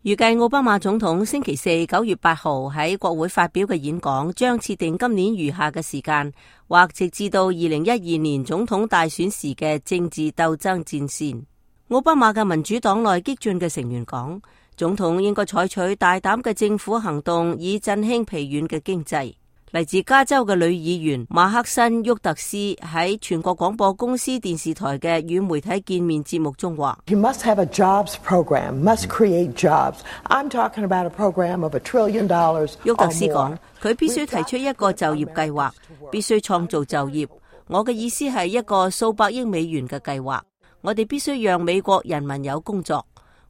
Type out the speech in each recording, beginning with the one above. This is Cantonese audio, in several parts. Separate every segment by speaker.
Speaker 1: 預計奧巴馬總統星期四9月8號喺國會發表嘅演講將設定今年餘下嘅時間，或直至到2012年總統大選時嘅政治鬥爭戰線。奧巴馬嘅民主黨內激進嘅成員講，總統應該採取大膽嘅政府行動，以振興疲軟嘅經濟。嚟自加州嘅女議員馬克辛沃特斯喺全國廣播公司電視台嘅與媒體見面節目中話：
Speaker 2: You must have a jobs program, must create jobs. I'm talking about a program of $1 trillion or more.
Speaker 1: 沃特斯講，佢必須提出一個就業計劃，必須創造就業。我嘅意思係一個數百億美元嘅計劃。我哋必須讓美國人民有工作。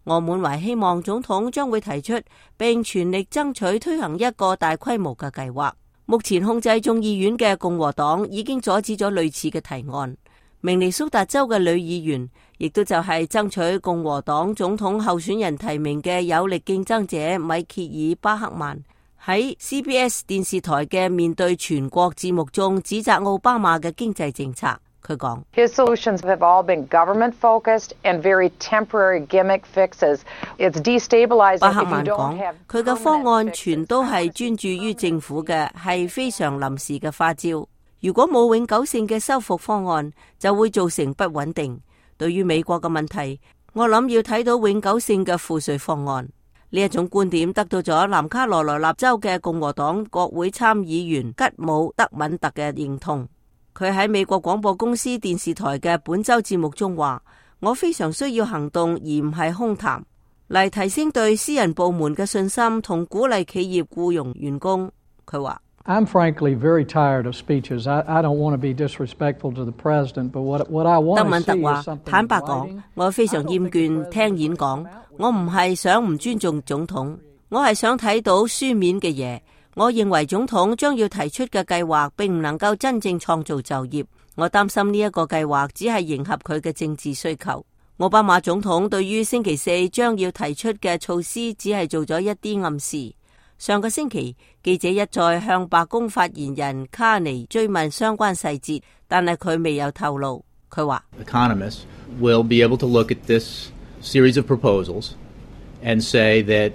Speaker 1: 我滿懷希望總統將會提出並全力爭取推行一個大規模嘅計劃。目前控制眾議院嘅共和黨已經阻止咗類似嘅提案。明尼蘇達州嘅女議員，亦都就係爭取共和黨總統候選人提名嘅有力競爭者米歇爾巴克曼，喺 CBS 電視台嘅面對全國節目中指責奧巴馬嘅經濟政策。佢講
Speaker 3: His solutions have all been government focused and very temporary gimmick fixes. It's destabilizing.
Speaker 1: 巴克曼講，佢嘅方案全都係專注於政府嘅，係非常臨時嘅花招。如果冇永久性嘅修復方案，就會造成不穩定。對於美國嘅問題，我諗要睇到永久性嘅賦稅方案。呢一種觀點得到咗南卡羅來納州嘅共和黨國會參議員吉姆德敏特嘅認同。佢喺美國廣播公司電視台嘅本周節目中話：我非常需要行動而唔係空談，嚟提升對私人部門嘅信心同鼓勵企業僱傭員工。佢話
Speaker 4: ：I'm frankly very tired of speeches. I don't want to be disrespectful to the president, but what I want to see is something in writing. 德敏特話：坦白講，我非常厭倦聽演講，我唔係想唔尊重總統，我係想睇到書面嘅嘢。我認為總統將要提出嘅計劃並唔能夠真正創造就業，我擔心呢一個計劃只係迎合佢嘅政治需求。奧巴馬總統對於星期四將要提出嘅措施只係做咗一啲暗示。上個星期，記者一再向白宮發言人卡尼追問相關細節，但係佢未有透露。佢話
Speaker 5: Economists will be able to look at this series of proposals and say that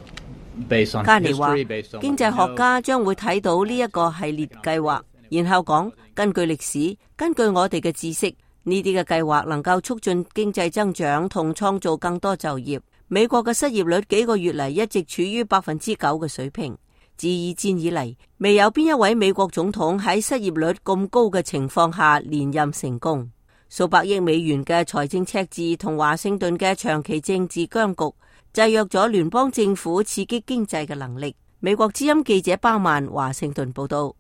Speaker 5: 加尼話，
Speaker 1: 經濟學家將會睇到呢一個系列計劃，然後講，根據歷史，根據我哋嘅知識，呢啲嘅計劃能夠促進經濟增長同創造更多就業。美國嘅失業率幾個月嚟一直處於9%嘅水平。自二戰以嚟，未有邊一位美國總統喺失業率咁高嘅情況下連任成功。數百億美元嘅財政赤字同華盛頓嘅長期政治僵局制約咗聯邦政府刺激經濟嘅能力。美國之音記者巴曼華盛頓報道。